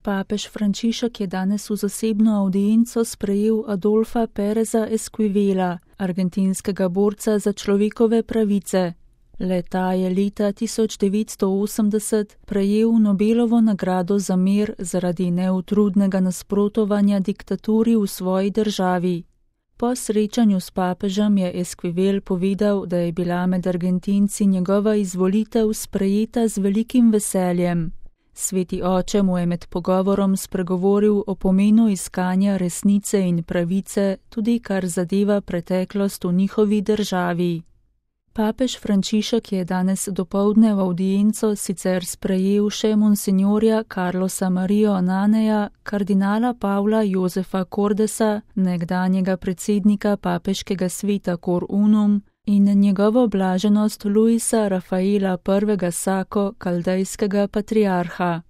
Papež Frančišek je danes v zasebno avdienco sprejel Adolfa Péreza Esquivela, argentinskega borca za človekove pravice. Le-ta je leta 1980 prejel Nobelovo nagrado za mir zaradi neutrudnega nasprotovanja diktaturi v svoji državi. Po srečanju s papežem je Esquivel povedal, da je bila med Argentinci njegova izvolitev sprejeta z velikim veseljem. Sveti oče mu je med pogovorom spregovoril o pomenu iskanja resnice in pravice, tudi kar zadeva preteklost v njihovi državi. Papež Frančišek je danes dopoldne v avdienco sicer sprejel še monsinjorja Carlosa Marijo Ananeja, kardinala Pavla Josefa Cordesa, nekdanjega predsednika papeškega sveta Cor Unum, in njegovo blaženost Luisa Rafaela I. Sako, kaldejskega patriarha.